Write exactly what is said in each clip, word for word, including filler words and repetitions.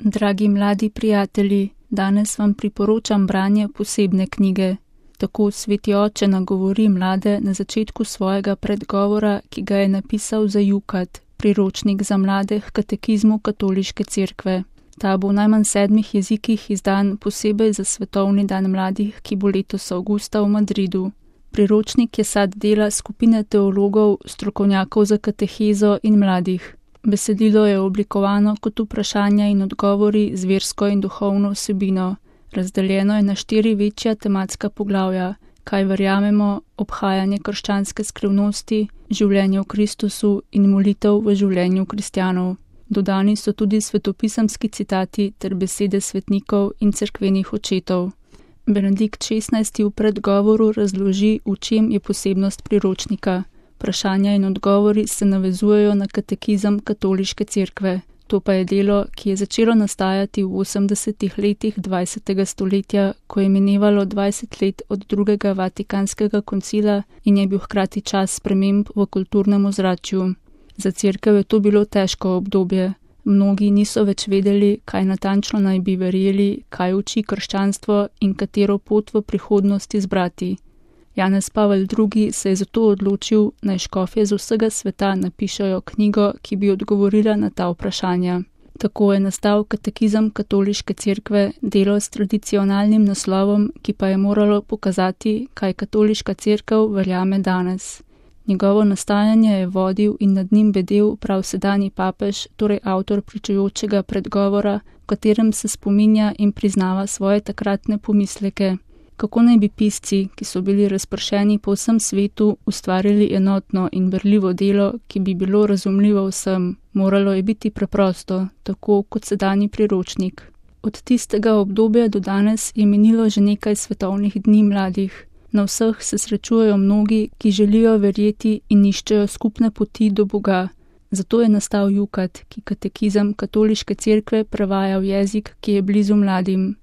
Dragi mladi prijatelji, danes vam priporočam branje posebne knjige. Tako sveti oče nagovori mlade na začetku svojega predgovora, ki ga je napisal za Jukat, priročnik za mlade h katekizmu katoliške cerkve. Ta bo v najmanj sedmih jezikih izdan posebej za svetovni dan mladih, ki bo letos avgusta v Madridu. Priročnik je sad dela skupine teologov, strokovnjakov za katehezo in mladih. Besedilo je oblikovano kot vprašanja in odgovori z versko in duhovno vsebino. Razdeljeno je na štiri večja tematska poglavja: kaj verjamemo, obhajanje krščanske skrivnosti, življenje v Kristusu in molitev v življenju kristjanov. Dodani so tudi svetopisemski citati ter besede svetnikov in cerkvenih očetov. Benedikt šestnajsti v predgovoru razloži, v čem je posebnost priročnika. Vprašanja in odgovori se navezujejo na katekizem katoliške cerkve. To pa je delo, ki je začelo nastajati v osemdesetih letih dvajsetega stoletja, ko je minevalo dvajset let od drugega vatikanskega koncila in je bil hkrati čas sprememb v kulturnem ozračju. Za cerkev je to bilo težko obdobje. Mnogi niso več vedeli, kaj natančno naj bi verjeli, kaj uči krščanstvo in katero pot v prihodnosti izbrati. Janez Pavel drugi se je zato odločil, naj škofje z vsega sveta napišejo knjigo, ki bi odgovorila na ta vprašanja. Tako je nastal katekizem katoliške cerkve, delo s tradicionalnim naslovom, ki pa je moralo pokazati, kaj katoliška cerkev verjame danes. Njegovo nastajanje je vodil in nad njim bedel prav sedanji papež, torej avtor pričujočega predgovora, v katerem se spominja in priznava svoje takratne pomisleke. Kako naj bi pisci, ki so bili razpršeni po vsem svetu, ustvarili enotno in berljivo delo, ki bi bilo razumljivo vsem? Moralo je biti preprosto, tako kot sedanji priročnik. Od tistega obdobja do danes je minilo že nekaj svetovnih dni mladih. Na vseh se srečujejo mnogi, ki želijo verjeti in iščejo skupne poti do Boga. Zato je nastal Jukat, ki katekizem katoliške cerkve prevaja v jezik, ki je blizu mladim.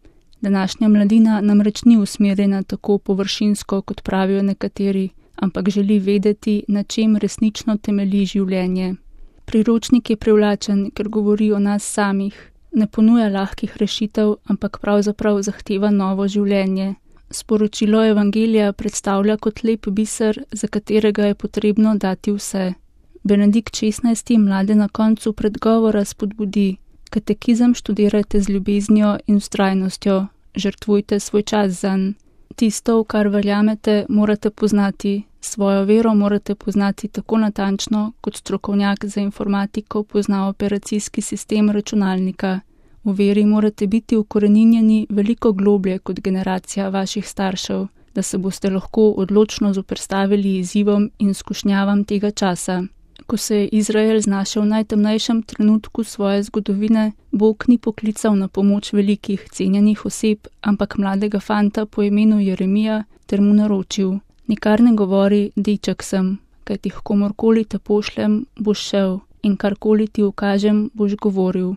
Današnja mladina namreč ni usmerjena tako površinsko, kot pravijo nekateri, ampak želi vedeti, na čem resnično temelji življenje. Priročnik je privlačen, ker govori o nas samih. Ne ponuja lahkih rešitev, ampak pravzaprav zahteva novo življenje. Sporočilo evangelija predstavlja kot lep biser, za katerega je potrebno dati vse. Benedikt šestnajsti mlade na koncu predgovora spodbudi: katekizem študirajte z ljubeznijo in vztrajnostjo, žrtvujte svoj čas zanj. Tisto, v kar verjamete, morate poznati, svojo vero morate poznati tako natančno, kot strokovnjak za informatiko pozna operacijski sistem računalnika. V veri morate biti ukoreninjeni veliko globlje kot generacija vaših staršev, da se boste lahko odločno zoperstavili izzivom in skušnjavam tega časa. Ko se je Izrael znašel v najtemnejšem trenutku svoje zgodovine, Bog ni poklical na pomoč velikih, cenjenih oseb, ampak mladega fanta po imenu Jeremija ter mu naročil: nikar ne govori, deček sem, kajti komorkoli te pošljem, boš šel in karkoli ti ukažem, boš govoril.